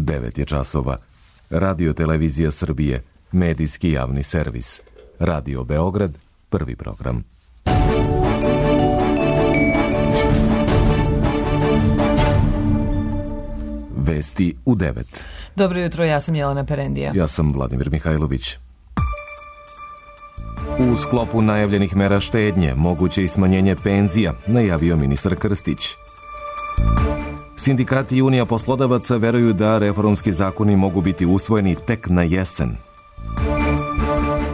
9 je časova. Radio Televizija Srbije, medijski javni servis. Radio Beograd, prvi program. Vesti u 9. Dobro jutro, ja sam Jelena Perendija. Ja sam Vladimir Mihajlović. U sklopu najavljenih mera štednje moguće i smanjenje penzija, najavio ministar Krstić. Sindikati i Unija poslodavaca veruju da reformski zakoni mogu biti usvojeni tek na jesen.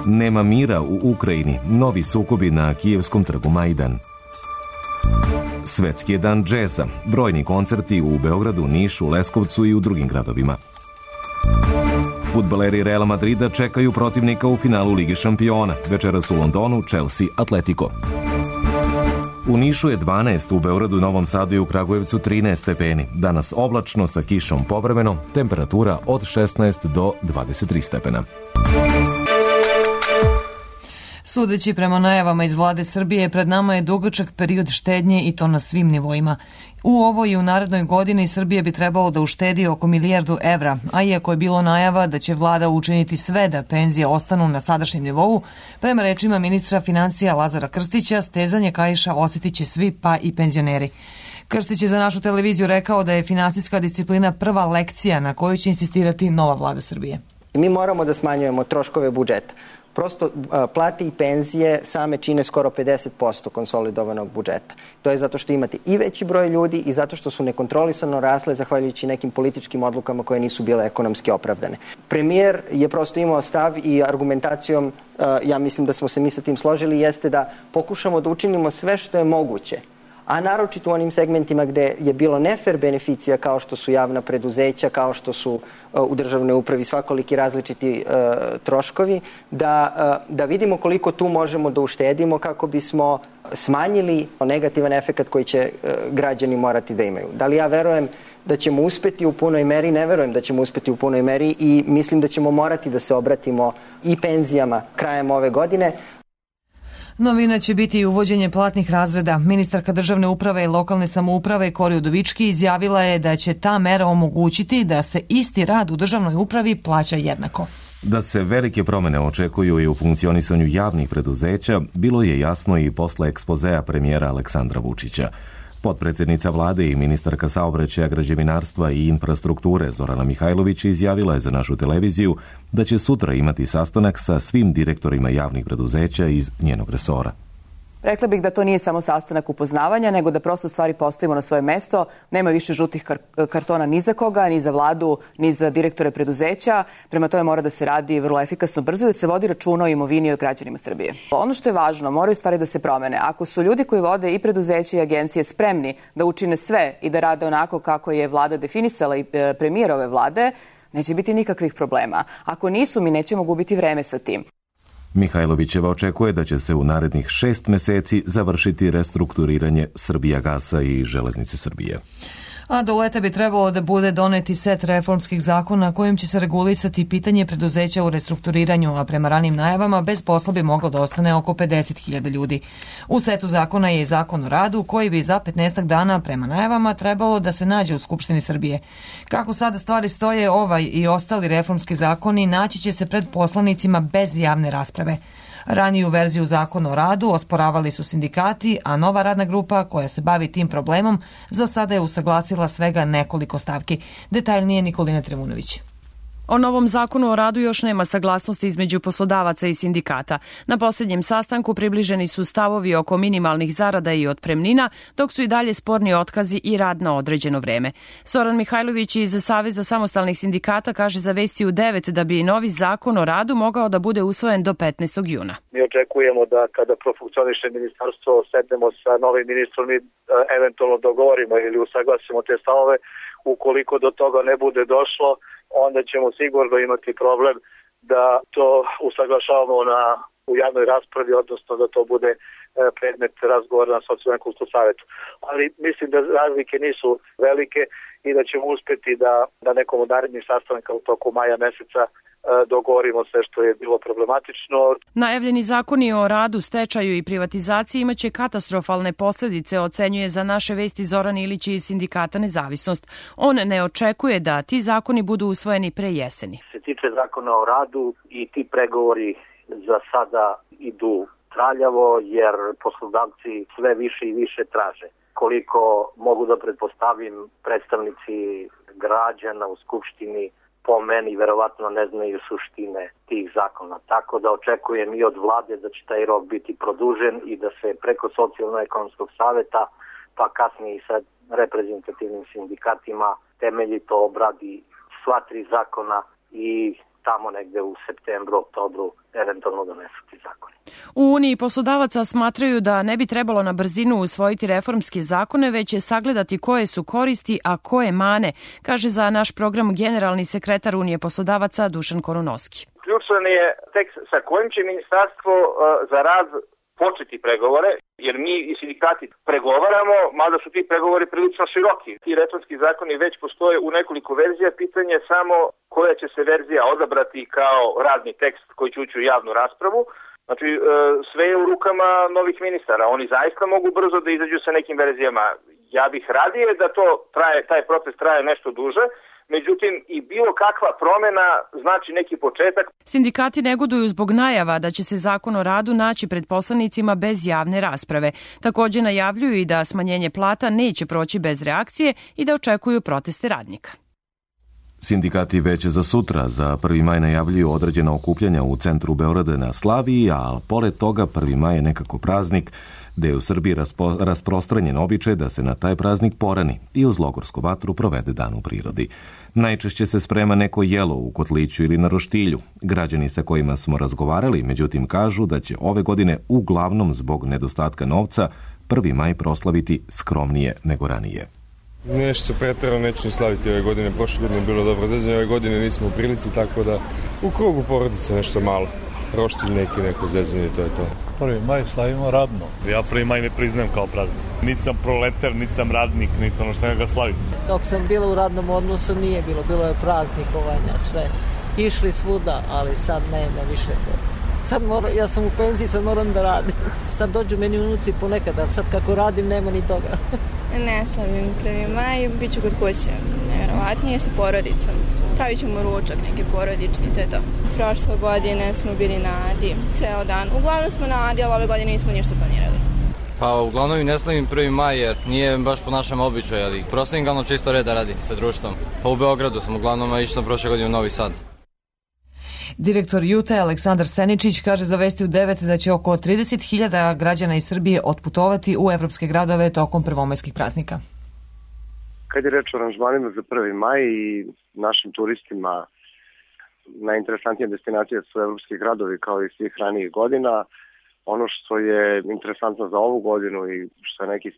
Nema mira u Ukrajini, novi sukobi na kijevskom trgu Majdan. Svetski je dan džeza, brojni koncerti u Beogradu, Nišu, Leskovcu i u drugim gradovima. Fudbaleri Reala Madrida čekaju protivnika u finalu Lige šampiona. Večeras u Londonu Chelsea Atletico. U Nišu je 12, u Beogradu, Novom Sadu i u Kragujevcu 13 stepeni. Danas oblačno sa kišom povremeno, temperatura od 16 do 23 stepena. Sudeći prema najavama iz vlade Srbije, pred nama je dugačak period štednje i to na svim nivoima. U ovoj i u narednoj godini Srbija bi trebalo da uštedi oko 1 milijardu evra, a iako je bilo najava da će vlada učiniti sve da penzije ostanu na sadašnjem nivou, prema rečima ministra finansija Lazara Krstića, stezanje kaiša osjetit će svi, pa i penzioneri. Krstić je za našu televiziju rekao da je finansijska disciplina prva lekcija na koju će insistirati nova vlada Srbije. Mi moramo da smanjujemo troškove budžeta. Prosto plate i penzije same čine skoro 50% konsolidovanog budžeta. To je zato što imate i veći broj ljudi i zato što su nekontrolisano rasle zahvaljujući nekim političkim odlukama koje nisu bile ekonomski opravdane. Premijer je prosto imao stav i argumentacijom, ja mislim da smo se mi sa tim složili, jeste da pokušamo da učinimo sve što je moguće, a naročito u onim segmentima gde je bilo nefer beneficija kao što su javna preduzeća, kao što su u državnoj upravi svakoliki različiti troškovi, da vidimo koliko tu možemo da uštedimo kako bismo smanjili negativan efekat koji će građani morati da imaju. Da li ja verujem da ćemo uspeti u punoj meri? Ne verujem da ćemo uspeti u punoj meri i mislim da ćemo morati da se obratimo i penzijama krajem ove godine. Novina će biti i uvođenje platnih razreda. Ministarka državne uprave i lokalne samouprave Kori Udovički izjavila je da će ta mera omogućiti da se isti rad u državnoj upravi plaća jednako. Da se velike promene očekuju i u funkcionisanju javnih preduzeća, bilo je jasno i posle ekspozea premijera Aleksandra Vučića. Potpredsjednica vlade i ministarka saobraćaja, građevinarstva i infrastrukture Zorana Mihajlović izjavila je za našu televiziju da će sutra imati sastanak sa svim direktorima javnih preduzeća iz njenog resora. Rekla bih da to nije samo sastanak upoznavanja, nego da prosto stvari postavimo na svoje mesto. Nema više žutih kartona ni za koga, ni za vladu, ni za direktore preduzeća. Prema tome mora da se radi vrlo efikasno, brzo i da se vodi računa o imovini i o građanima Srbije. Ono što je važno, moraju stvari da se promene. Ako su ljudi koji vode i preduzeće i agencije spremni da učine sve i da rade onako kako je vlada definisala i premijer ove vlade, neće biti nikakvih problema. Ako nisu, mi nećemo gubiti vreme sa tim. Mihajlovićeva očekuje da će se u narednih 6 meseci završiti restrukturiranje Srbijagasa i Železnice Srbije. A do leta bi trebalo da bude doneti set reformskih zakona kojim će se regulisati pitanje preduzeća u restrukturiranju, a prema ranim najavama bez posla bi moglo da ostane oko 50.000 ljudi. U setu zakona je i zakon o radu koji bi za 15 dana prema najavama trebalo da se nađe u Skupštini Srbije. Kako sada stvari stoje, ovaj i ostali reformski zakoni naći će se pred poslanicima bez javne rasprave. Raniju verziju zakona o radu osporavali su sindikati, a nova radna grupa koja se bavi tim problemom za sada je usaglasila svega nekoliko stavki. Detaljnije Nikolina Tremunović. O novom zakonu o radu još nema saglasnosti između poslodavaca i sindikata. Na posljednjem sastanku približeni su stavovi oko minimalnih zarada i otpremnina, dok su i dalje sporni otkazi i rad na određeno vreme. Zoran Mihajlović iz Saveza samostalnih sindikata kaže za Vesti u 9 da bi novi zakon o radu mogao da bude usvojen do 15. juna. Mi očekujemo da kada profunkcioniše ministarstvo, sednemo sa novim ministrom i eventualno dogovorimo ili usaglasimo te stavove. Ukoliko do toga ne bude došlo, onda ćemo sigurno imati problem da to usaglašavamo u javnoj raspravi, odnosno da to bude predmet razgovora na socijalno-ekonomskom savetu. Ali mislim da razlike nisu velike i da ćemo uspeti da na nekom od narednih sastanaka u toku maja meseca dogovorimo sve što je bilo problematično. Najavljeni zakoni o radu, stečaju i privatizaciji imaće katastrofalne posljedice, ocenjuje Za naše vesti Zoran Ilić iz Sindikata Nezavisnost. On ne očekuje da ti zakoni budu usvojeni pre jeseni. Se tiče zakona o radu i ti pregovori za sada idu traljavo jer poslodavci sve više i više traže. Koliko mogu da pretpostavim, predstavnici građana u Skupštini po meni verovatno ne znaju suštine tih zakona. Tako da očekujem i od vlade da će taj rok biti produžen i da se preko Socijalno-ekonomskog saveta, pa kasnije i sa reprezentativnim sindikatima temeljito obradi sva tri zakona i tamo negde u septembru, oktobru eventualno donesu ti zakoni. U Uniji poslodavaca smatraju da ne bi trebalo na brzinu usvojiti reformske zakone, već je sagledati koje su koristi, a koje mane, kaže za naš program generalni sekretar Unije poslodavaca Dušan Korunovski. Ključan je tekst sa kojim će Ministarstvo za rad početi pregovore, jer mi i sindikati pregovaramo, mada su ti pregovori prilično široki. Ti reformski zakoni već postoje u nekoliko verzija, pitanje je samo koja će se verzija odabrati kao radni tekst koji će ući u javnu raspravu. Znači, sve je u rukama novih ministara. Oni zaista mogu brzo da izađu sa nekim verzijama. Ja bih radije da taj proces traje nešto duže, međutim i bilo kakva promjena znači neki početak. Sindikati negoduju zbog najava da će se zakon o radu naći pred poslanicima bez javne rasprave. Također najavljuju i da smanjenje plata neće proći bez reakcije i da očekuju proteste radnika. Sindikati već za sutra, za 1. maj najavljuju određena okupljanja u centru Beograda na Slaviji, a pored toga 1. maj je nekako praznik, gde je u Srbiji rasprostranjen običaj da se na taj praznik porani i uz logorsku vatru provede dan u prirodi. Najčešće se sprema neko jelo u kotliću ili na roštilju. Građani sa kojima smo razgovarali, međutim, kažu da će ove godine uglavnom zbog nedostatka novca 1. maj proslaviti skromnije nego ranije. Nešto pretjerano neću ni slaviti ove godine. Prošle godine je bilo dobro zezanje, ove godine nismo u prilici, tako da u krugu porodice nešto malo. Roštilj neki, neko zezanje, to je to. 1. maj slavimo radno. Ja 1. maj ne priznajem kao praznik. Niti sam proletar, niti sam radnik, niti ono što ga slavim. Dok sam bila u radnom odnosu nije bilo je praznikovanja, sve. Išli svuda, ali sad nema više to. Ja sam u penziji, sad moram da radim. Sad dođu meni unuci ponekad, a sad kako radim nema ni toga. Ne slavim 1. maj, bit ću kod kuće, nevjerovatnije sa porodicom. Pravit ćemo ručak, neki porodični, to je to. Prošle godine smo bili na Adi, ceo dan. Uglavnom smo na Adi, ali ove godine nismo ništa planirali. Pa uglavnom i ne slavim 1. maj jer nije baš po našem običaju, ali proslavim ga čisto reda radi sa društvom. Pa u Beogradu sam uglavnom, a išao sam prošle godine u Novi Sad. Direktor Jute Aleksandar Seničić kaže za Vesti u 9 da će oko 30.000 građana iz Srbije otputovati u evropske gradove tokom prvomajskih praznika. Kad je reč o aranžmanima za 1. maj i našim turistima, najinteresantnije destinacije su evropski gradovi kao i svih ranijih godina. Ono što je interesantno za ovu godinu i što je neki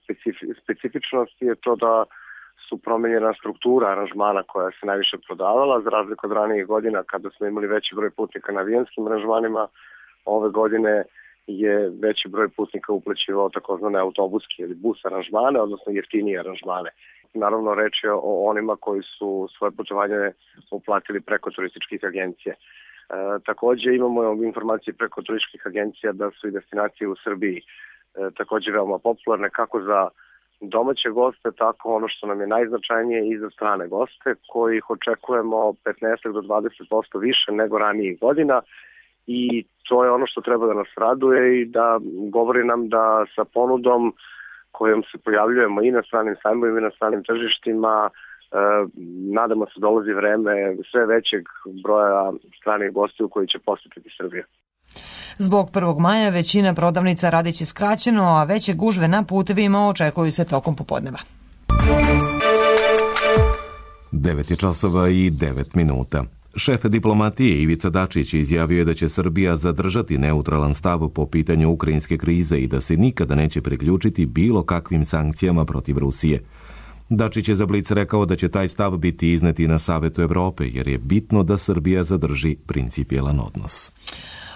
specifičnost je to da su promenjena struktura aranžmana koja se najviše prodavala, za razliku od ranijih godina kada smo imali veći broj putnika na avionskim aranžmanima. Ove godine je veći broj putnika uplaćivao takozvane autobuske ili bus aranžmane, odnosno jeftinije aranžmane. Naravno, reč je o onima koji su svoje putovanje uplatili preko turističkih agencija. Također imamo informacije preko turističkih agencija da su i destinacije u Srbiji također veoma popularne kako za domaće goste, tako ono što nam je najznačajnije i za strane goste, kojih očekujemo 15 do 20% više nego ranijih godina i to je ono što treba da nas raduje i da govori nam da sa ponudom kojom se pojavljujemo i na stranim sajmovima i na stranim tržištima, nadamo se dolazi vreme sve većeg broja stranih gostiju koji će posjetiti Srbiju. Zbog 1. maja većina prodavnica radit će skraćeno, a veće gužve na putevima očekuju se tokom popodneva. 9:09. Šef diplomatije Ivica Dačić izjavio je da će Srbija zadržati neutralan stav po pitanju ukrajinske krize i da se nikada neće priključiti bilo kakvim sankcijama protiv Rusije. Dačić je za Blic rekao da će taj stav biti izneti na Savetu Evrope, jer je bitno da Srbija zadrži principijelan odnos.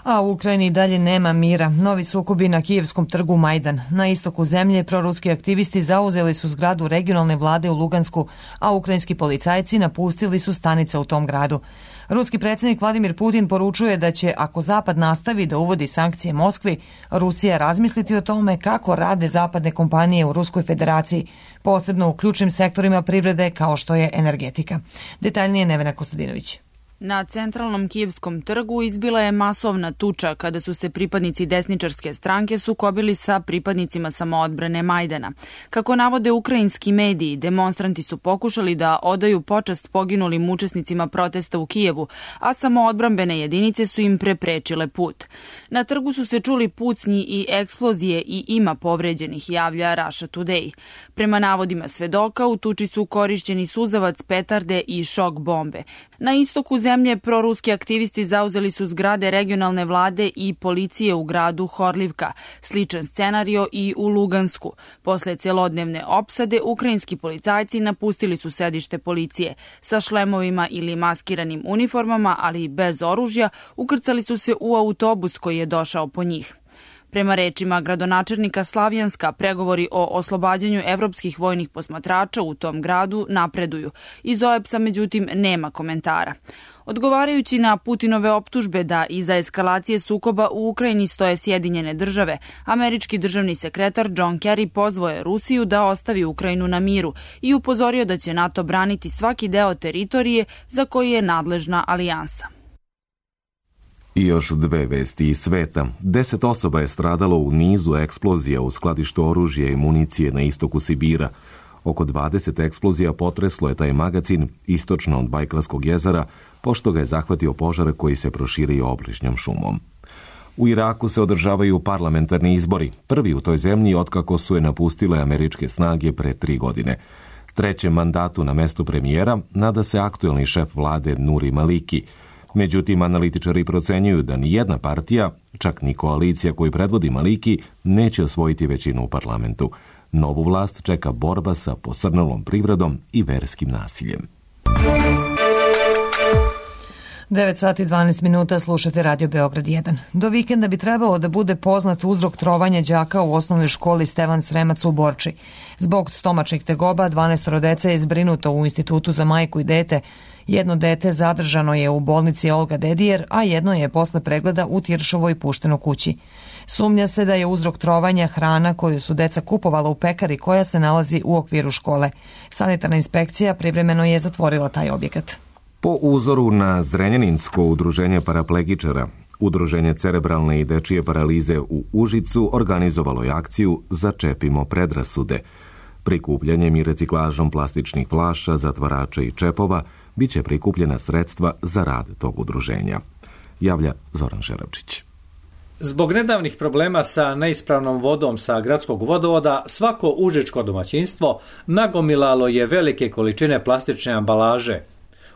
A u Ukrajini dalje nema mira. Novi sukobi na kijevskom trgu Majdan. Na istoku zemlje proruski aktivisti zauzeli su zgradu regionalne vlade u Lugansku, a ukrajinski policajci napustili su stanice u tom gradu. Ruski predsjednik Vladimir Putin poručuje da će, ako Zapad nastavi da uvodi sankcije Moskvi, Rusija razmisliti o tome kako rade zapadne kompanije u Ruskoj federaciji, posebno u ključnim sektorima privrede kao što je energetika. Detaljnije Nevena Kostadinović. Na centralnom kijevskom trgu izbila je masovna tuča kada su se pripadnici desničarske stranke sukobili sa pripadnicima samoodbrane Majdana. Kako navode ukrajinski mediji, demonstranti su pokušali da odaju počast poginulim učesnicima protesta u Kijevu, a samoodbrambene jedinice su im preprečile put. Na trgu su se čuli pucnji i eksplozije i ima povređenih, javlja Russia Today. Prema navodima svedoka, u tuči su korišćeni suzavac, petarde i šok bombe. Na istoku zemlje proruski aktivisti zauzeli su zgrade regionalne vlade i policije u gradu Horlivka. Sličan scenario i u Lugansku. Posle celodnevne opsade, ukrajinski policajci napustili su sedište policije. Sa šlemovima ili maskiranim uniformama, ali bez oružja, ukrcali su se u autobus koji je došao po njih. Prema rečima gradonačelnika Slavjanska, pregovori o oslobađanju evropskih vojnih posmatrača u tom gradu napreduju. Iz OEBS-a, međutim, nema komentara. Odgovarajući na Putinove optužbe da iza eskalacije sukoba u Ukrajini stoje Sjedinjene države, američki državni sekretar John Kerry pozvao je Rusiju da ostavi Ukrajinu na miru i upozorio da će NATO braniti svaki deo teritorije za koji je nadležna alijansa. I još dve vesti iz sveta. 10 osoba je stradalo u nizu eksplozija u skladištu oružja i municije na istoku Sibira. Oko 20 eksplozija potreslo je taj magacin istočno od Bajkalskog jezera, pošto ga je zahvatio požar koji se proširio obližnjom šumom. U Iraku se održavaju parlamentarni izbori, prvi u toj zemlji otkako su je napustile američke snage pre 3 godine. Trećem mandatu na mestu premijera nada se aktuelni šef vlade Nuri Maliki. Međutim, analitičari procenjuju da ni jedna partija, čak ni koalicija koju predvodi Maliki, neće osvojiti većinu u parlamentu. Novu vlast čeka borba sa posrnulom privredom i verskim nasiljem. 9 sati 12 minuta, slušate Radio Beograd 1. Do vikenda bi trebalo da bude poznat uzrok trovanja đaka u osnovnoj školi Stevan Sremac u Borči. Zbog stomačnih tegoba 12 dece je zbrinuto u Institutu za majku i dete. Jedno dete zadržano je u bolnici Olga Dedijer, a jedno je posle pregleda u Tiršovoj pušteno kući. Sumnja se da je uzrok trovanja hrana koju su deca kupovala u pekari koja se nalazi u okviru škole. Sanitarna inspekcija privremeno je zatvorila taj objekat. Po uzoru na Zrenjaninsko udruženje paraplegičara, Udruženje cerebralne i dečije paralize u Užicu organizovalo je akciju Začepimo predrasude. Prikupljanjem i reciklažom plastičnih flaša, zatvarača i čepova biće prikupljena sredstva za rad tog udruženja. Javlja Zoran Žeravčić. Zbog nedavnih problema sa neispravnom vodom sa gradskog vodovoda, svako užičko domaćinstvo nagomilalo je velike količine plastične ambalaže.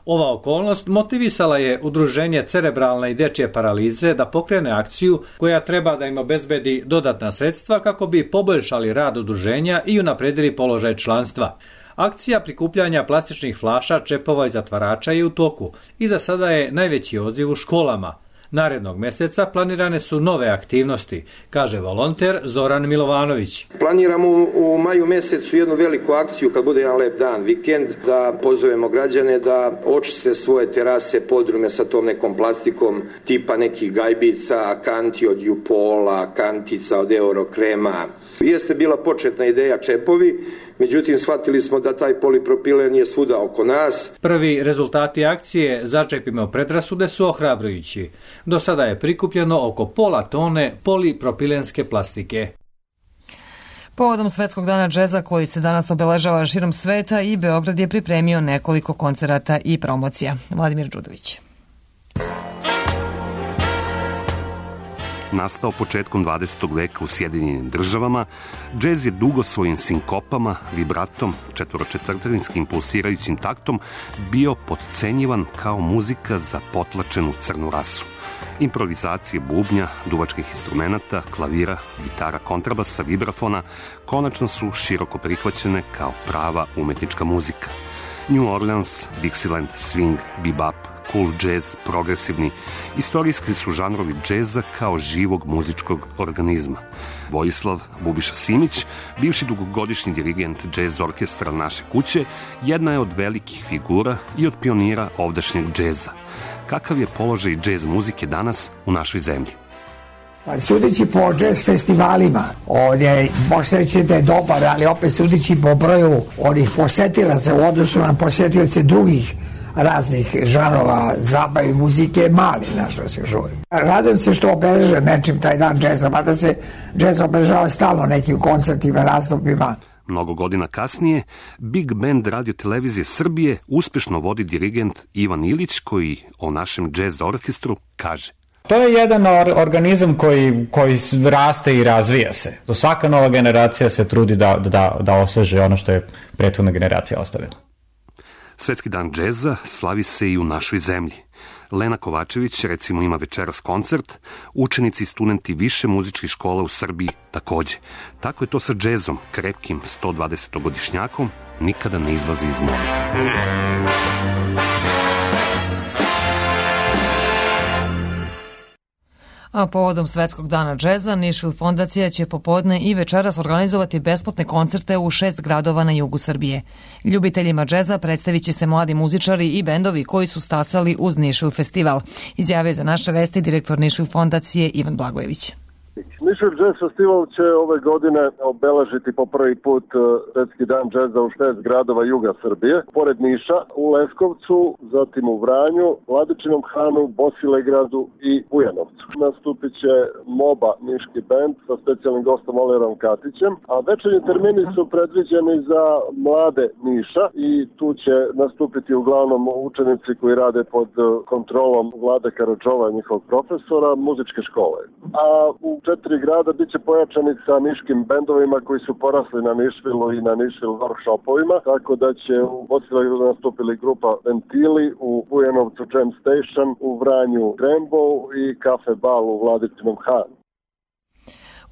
Ova okolnost motivisala je Udruženje cerebralne i dečje paralize da pokrene akciju koja treba da im obezbedi dodatna sredstva kako bi poboljšali rad udruženja i unapredili položaj članstva. Akcija prikupljanja plastičnih flaša, čepova i zatvarača je u toku i za sada je najveći odziv u školama. Narednog mjeseca planirane su nove aktivnosti, kaže volonter Zoran Milovanović. Planiramo u maju mjesecu jednu veliku akciju kad bude jedan lep dan, vikend, da pozovemo građane da očiste svoje terase, podrume sa tom nekom plastikom tipa nekih gajbica, kanti od Jupola, kantica od Eurokrema. Jeste bila početna ideja čepovi, međutim shvatili smo da taj polipropilen je svuda oko nas. Prvi rezultati akcije Začepimo predrasude su ohrabrujući. Do sada je prikupljeno oko pola tone polipropilenske plastike. Povodom Svetskog dana džeza koji se danas obeležava širom sveta i Beograd je pripremio nekoliko koncerata i promocija. Vladimir Đudović. Nastao početkom 20. veka u Sjedinjenim državama, džez je dugo svojim sinkopama, vibratom, četvoročetvrtinskim pulsirajućim taktom bio potcenjivan kao muzika za potlačenu crnu rasu. Improvizacije bubnja, duvačkih instrumenata, klavira, gitara, kontrabasa, vibrafona konačno su široko prihvaćene kao prava umetnička muzika. New Orleans, Dixieland, swing, bebop, cool jazz, progresivni. Istorijski su žanrovi džeza kao živog muzičkog organizma. Vojislav Bubiša Simić, bivši dugogodišnji dirigent džez orkestra Naše kuće, jedna je od velikih figura i od pionira ovdašnjeg džeza. Kakav je položaj džez muzike danas u našoj zemlji? Sudeći po džez festivalima, on je, možete reći da je dobar, ali opet sudeći po broju onih posetilaca u odnosu na posetilace drugih raznih žanova zabave i muzike, mali naš da se žuri. Radujem se što obeleže nečim taj dan džeza, mada se džez obeležava stalno nekim koncertima, nastupima. Mnogo godina kasnije, Big Band Radio Televizije Srbije uspešno vodi dirigent Ivan Ilić, koji o našem džez orkestru kaže: to je jedan organizam koji raste i razvija se. Svaka nova generacija se trudi da osveže ono što je prethodna generacija ostavila. Svetski dan džeza slavi se i u našoj zemlji. Lena Kovačević, recimo, ima večeras koncert, učenici i studenti više muzičkih škola u Srbiji takođe. Tako je to sa džezom, krepkim 120-godišnjakom, nikada ne izlazi iz mora. A povodom Svetskog dana džeza, Nišvil fondacija će popodne i večeras organizovati besplatne koncerte u 6 gradova na jugu Srbije. Ljubiteljima džeza predstavit će se mladi muzičari i bendovi koji su stasali uz Nišvil festival, izjavio za naše vesti direktor Nišvil fondacije Ivan Blagojević. Nišvil Jazz Festival će ove godine obeležiti po prvi put Svetski dan džeza u 6 gradova juga Srbije. Pored Niša, u Leskovcu, zatim u Vranju, Vladičinom Hanu, Bosilegradu i Bujanovcu. Nastupit će MOBA niški band sa specijalnim gostom Olerom Katićem, a večernji termini su predviđeni za mlade Niša i tu će nastupiti uglavnom učenici koji rade pod kontrolom Vlade Karadžova, njihovog profesora, muzičke škole. A u 4 grada bit će pojačani sa niškim bendovima koji su porasli na Nišvilu i na Nišvil workshopovima, tako da će u Bosilegradu nastupili grupa Ventili, u Bujanovcu Jam Station, u Vranju Rainbow i Kafe Bal u Vladičinom Hanu.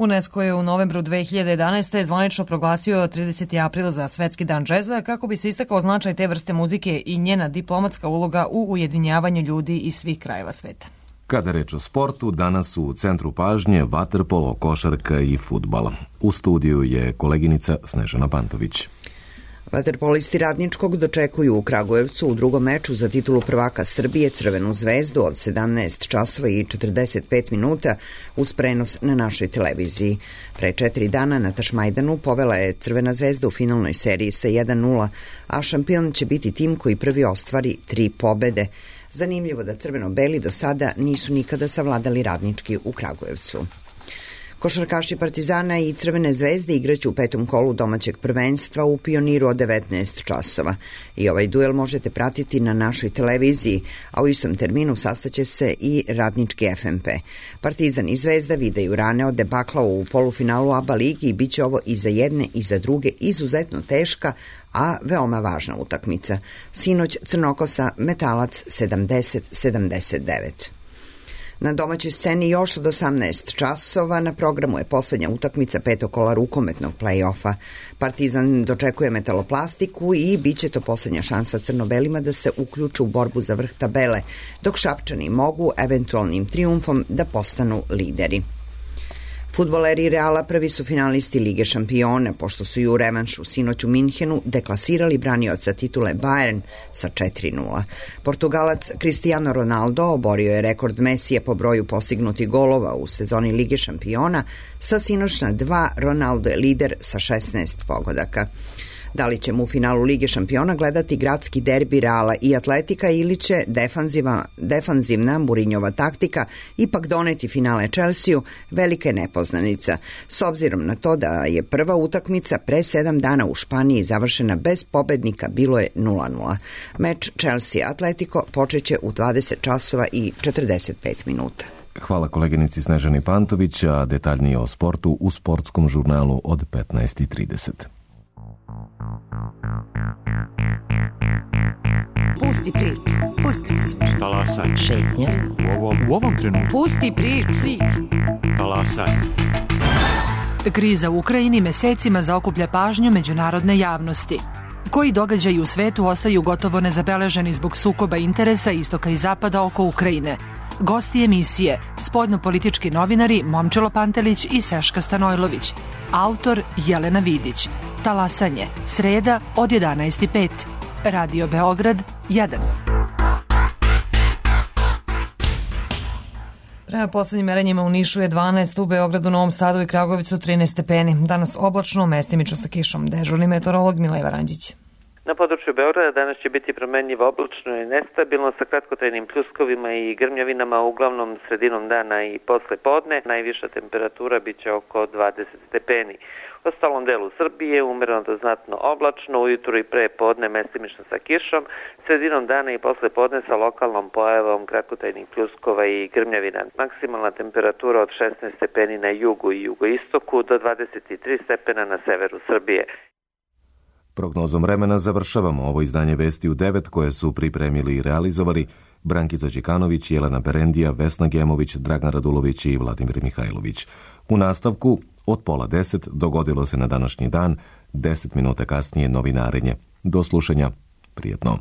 UNESCO je u novembru 2011. zvanično proglasio 30. april za Svetski dan džeza kako bi se istakao značaj te vrste muzike i njena diplomatska uloga u ujedinjavanju ljudi iz svih krajeva sveta. Kada reč o sportu, danas su u centru pažnje vaterpolo, košarka i fudbal. U studiju je koleginica Snežana Pantović. Vaterpolisti Radničkog dočekuju u Kragujevcu u drugom meču za titulu prvaka Srbije Crvenu zvezdu od 17 časova i 45 minuta uz prenos na našoj televiziji. Pre 4 dana na Tašmajdanu povela je Crvena zvezda u finalnoj seriji sa 1-0, a šampion će biti tim koji prvi ostvari 3 pobede. Zanimljivo da crveno-beli do sada nisu nikada savladali Radnički u Kragujevcu. Košarkaši Partizana i Crvene zvezde igraće u 5. kolu domaćeg prvenstva u Pioniru od 19 časova. I ovaj duel možete pratiti na našoj televiziji, a u istom terminu sastaće se i Radnički FNP. Partizan i Zvezda vidaju rane od debakla u polufinalu ABA ligi i bit će ovo i za jedne i za druge izuzetno teška, a veoma važna utakmica. Sinoć Crnokosa Metalac 70-79. Na domaćoj sceni još od 18 časova na programu je poslednja utakmica 5. kola rukometnog play-offa. Partizan dočekuje Metaloplastiku i bit će to poslednja šansa crno-belima da se uključu u borbu za vrh tabele, dok Šapčani mogu eventualnim trijumfom da postanu lideri. Fudbaleri Reala prvi su finalisti Lige šampiona, pošto su i u revanšu sinoć u Minhenu deklasirali branioca titule Bayern sa 4-0. Portugalac Cristiano Ronaldo oborio je rekord Mesija po broju postignutih golova u sezoni Lige šampiona, sa sinoćna 2 Ronaldo je lider sa 16 pogodaka. Da li ćemo u finalu Lige šampiona gledati gradski derbi Reala i Atletika ili će defanzivna Murinjova taktika ipak doneti finale Chelsea-u, velika je nepoznanica, s obzirom na to da je prva utakmica pre 7 dana u Španiji završena bez pobednika, bilo je 0-0. Meč Chelsea-Atletico počeće u 20 časova i 45 minuta. Hvala koleginici Snežani Pantović, a detaljnije o sportu u sportskom žurnalu od 15:30. Pusti priču. Pusti priču. Talasaj. Šetnja. U ovom trenutku. Pusti priču. Talasaj. Kriza u Ukrajini mesecima zaokuplja pažnju međunarodne javnosti. Koji događaji u svetu ostaju gotovo nezabeleženi zbog sukoba interesa istoka i zapada oko Ukrajine? Gosti emisije, spoljno-politički novinari Momčilo Pantelić i Seška Stanojlović. Autor Jelena Vidić. Talasanje, sreda od 11:05. Radio Beograd 1. Prema poslednjim merenjima u Nišu je 12, u Beogradu, Novom Sadu i Kragujevcu 13 stepeni. Danas oblačno, mestimično sa kišom. Dežurni meteorolog Mileva Ranđić. Na području Beograda danas će biti promenljivo, oblačno i nestabilno sa kratkotrajnim pljuskovima i grmljavinama, uglavnom sredinom dana i posle podne. Najviša temperatura biće oko 20 stepeni. U ostalom delu Srbije umereno do znatno oblačno, ujutru i pre podne mestimično sa kišom, sredinom dana i posle podne sa lokalnom pojavom kratkotrajnih pljuskova i grmljavina. Maksimalna temperatura od 16 stepeni na jugu i jugoistoku do 23 stepena na severu Srbije. Prognozom vremena završavamo ovo izdanje Vesti u 9 koje su pripremili i realizovali Brankica Đikanović, Jelena Berendija, Vesna Gemović, Dragan Radulović i Vladimir Mihajlović. U nastavku od 9:30 dogodilo se na današnji dan, 10 minuta kasnije novinarenje. Do slušanja, prijetno.